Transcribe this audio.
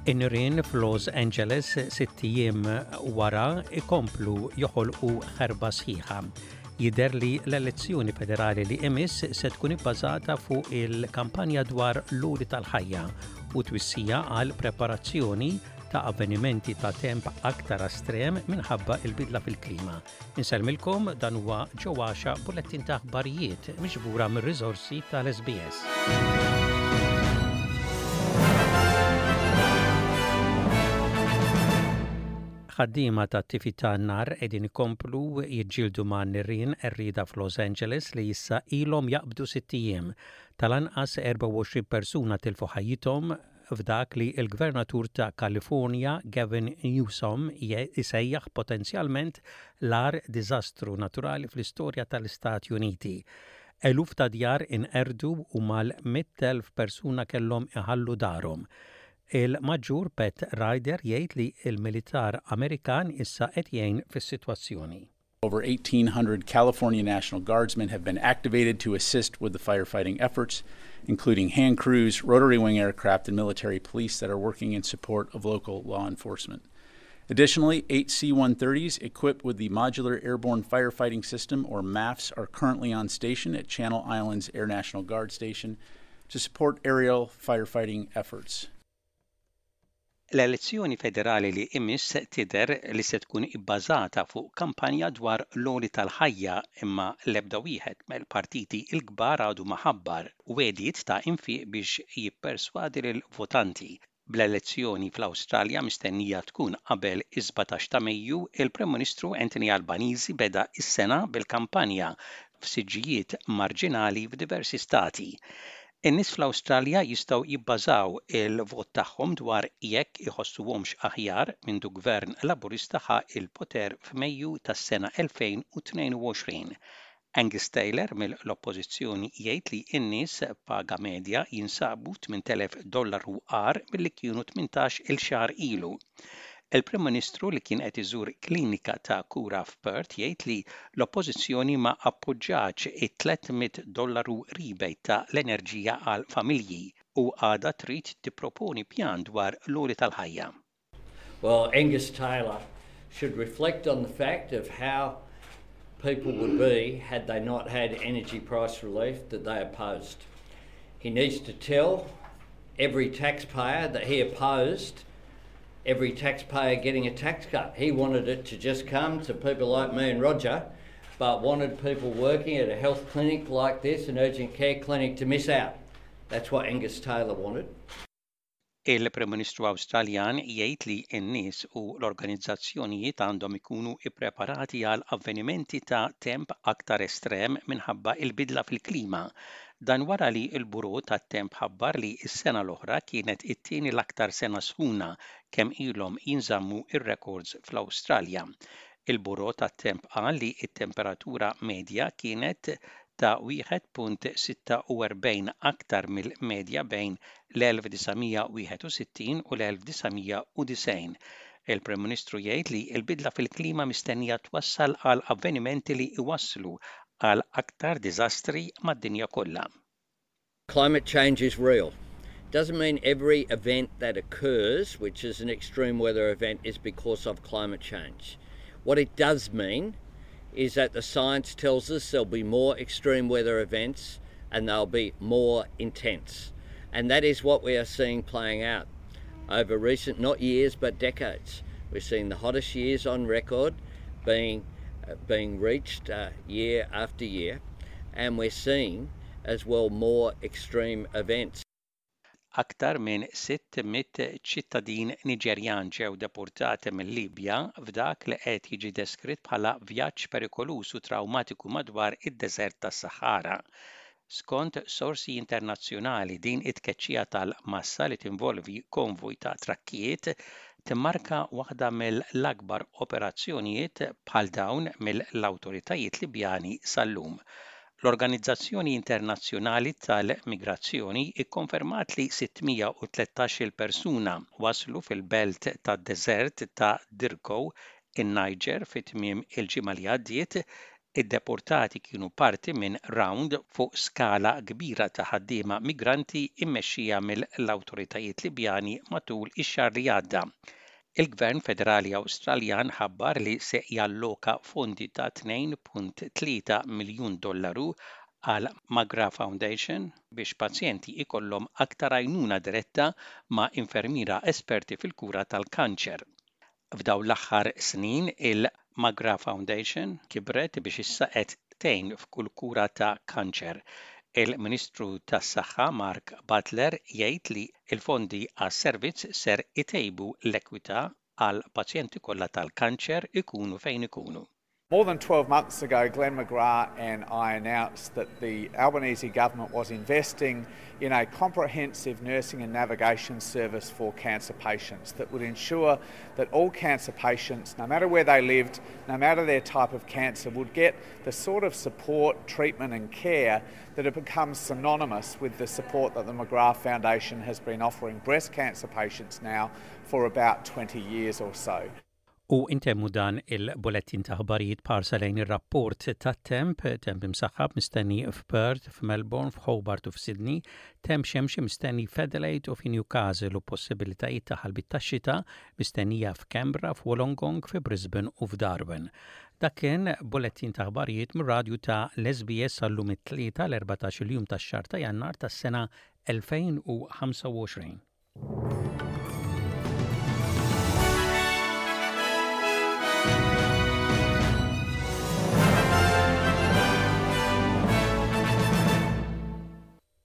In-nirien f'Los Angeles sitt ijiem wara ikomplu joħolqu ħerba sħiħa. Jidher li l-elezzjoni federali li imiss se tkun ibbażata fuq il-kampanja dwar l-għoli tal-ħajja u twissija għal preparazzjoni ta' avvenimenti ta' temp aktar estrem minħabba il-bidla fil-klima. Insellmilkom dan huwa Joe Axiaq bulettin ta' aħbarijiet miġbura mir-riżorsi tal-SBS. Ħaddiema tat-tifi tan-nar qegħdin ikomplu jiġġieldu ma' nirien qerrieda f'Los Angeles li issa ilhom jaqbdu sitt ijiem. Tal-anqas 24 persuna tilfu ħajjithom f'dak li l-Gvernatur ta' Kalifornja Gavin Newsom isejjaħ potenzjalment l-agħar diżastru naturali fl-istorja tal-Istati Uniti. Eluf ta' djar inqerdu u mal-100,000 persuna kellhom iħallu darhom. Il-Maġġur Pat Ryder jgħid li l-militar Amerikan issa qed jgħin fis-sitwazzjoni. Over 1,800 California National Guardsmen have been activated to assist with the firefighting efforts, including hand crews, rotary wing aircraft, and military police that are working in support of local law enforcement. Additionally, eight C 130s equipped with the Modular Airborne Firefighting System, or MAFS, are currently on station at Channel Islands Air National Guard Station to support aerial firefighting efforts. L-elezzjoni federali li imiss tidher li se tkun ibbażata fuq kampanja dwar l-għoli tal-ħajja imma l-ebda wieħed mill-partiti l-kbar għadu ma ħabbar wegħdiet ta' infiq biex jipperswadi lill-votanti. Bl-elezzjoni fl-Awstralja mistennija tkun qabel is-17 ta' Mejju, il-Prim Ministru Anthony Albanese beda s-sena bil-kampanja f'siġġijiet marġinali f'diversi stati. In-nies fl-Awstralja jistgħu jibbażaw il-vot tagħhom dwar jekk iħossuhomx aħjar mindu Gvern Laburista ħa l-poter f'Mejju tas-sena 2022. Angus Taylor mill-Oppożizzjoni jgħid li n-nies b'paga medja jinsabu 8,000 dollaru agħar milli kienu 18-il xahar ilu. Il-Prim Ministru li kien qed iżur klinika ta' kura f'Perth jgħid li l-Oppożizzjoni ma appoġġatx it-300 dollaru rebate ta' l-enerġija għal familji u għadha trid tipproponi pjan dwar l-għoli tal-ħajja. Well, Angus Taylor should reflect on the fact of how people would be had they not had energy price relief that they opposed. He needs to tell every taxpayer that he opposed every taxpayer getting a tax cut. He wanted it to just come to people like me and Roger, but wanted people working at a health clinic like this, an urgent care clinic, to miss out. That's what Angus Taylor wanted. Il-Prim Ministru Awstraljan jgħid li n-nies u l-organizzazzjonijiet għandhom ikunu ippreparati għal avvenimenti ta' temp aktar estrem minħabba l-bidla fil-klima. Dan wara li l-Bureau tat-Temp ħabbar li s-sena l-oħra kienet it-tieni l-aktar sena sħuna kemm ilhom jinżammu r-rekords fl-Awstralja. Il-Bureau tat-Temp qal li t-temperatura medja kienet ta' 1.46 aktar mill-medja bejn l-1961 u l-1990. Il-Prim Ministru jgħid li l-bidla fil-klima mistennija twassal għal avvenimenti li jwasslu għal aktar diżastri mad-dinja kollha. Climate change is real. Doesn't mean every event that occurs, which is an extreme weather event, is because of climate change. What it does mean is that the science tells us there'll be more extreme weather events and they'll be more intense. And that is what we are seeing playing out over recent, not years, but decades. We're seeing the hottest years on record being, uh, being reached uh, year after year, and we're seeing as well more extreme events. Aktar minn 600 ċittadin Niġerjan ġew deportati mil-Libja f'dak li qed jiġi deskritt bħala vjaġġ perikoluż u trawmatiku madwar id-deżert tas-Saħara. Skont sorsi internazzjonali din it-tkeċċija tal-massa li tinvolvi konvoj ta' trakkijiet timmarka waħda mill-akbar operazzjonijiet bħal dawn mill-awtoritajiet Libjani sal-lum. L-Organizzazzjoni Internazzjonali tal-Migrazzjoni kkonfermat li 613-il persuna waslu fil-belt tad-deżert ta' Dirkou, in-Niġer fi tmiem il-ġimgħa li għaddiet. Id-deportati kienu parti minn rawnd fuq skala kbira ta' ħaddiema migranti mmexxija mill-awtoritajiet Libjani matul ix-xahar li għadda. Il-Gvern Federali Awstraljan ħabbar li se jalloka fondi ta' 2.3 miljun dollaru għal McGrath Foundation biex pazjenti ikollhom aktar għajnuna diretta ma' infermiera esperti fil-kura tal-kanċer. F'dawn l-aħħar snin il-McGrath Foundation kibret biex issa qed tgħin f'kull kura ta' kanċer. Il-Ministru tas-Saħħa Mark Butler jgħid li l-fondi għas-servizz ser itejbu l-ekwità għall-pazjenti kollha tal-kanċer ikunu fejn ikunu. More than 12 months ago, Glenn McGrath and I announced that the Albanese government was investing in a comprehensive nursing and navigation service for cancer patients that would ensure that all cancer patients, no matter where they lived, no matter their type of cancer, would get the sort of support, treatment and care that have become synonymous with the support that the McGrath Foundation has been offering breast cancer patients now for about 20 years or so. U intemmu dan il-bulettin ta' ħbarijiet b'ħarsa lejn ir-rapport tat-temp, temp imsaħħab mistenni f'Perth, f'Melbourne, f'Hobart u f'Sydney, temp xemxi mistenni f'Adelaide u fi Newcastle u possibilitajiet ta' ħalbiet tax-xita mistennija f'Canberra, f'Wollongong, fi Brisbane u f'Darwin. Dak kien bulettin ta' ħbarijiet mir-radju ta' l-SBS għal-lum it-Tlieta l-14 il-jum tax-xahar ta' Jannar tas-sena 2025.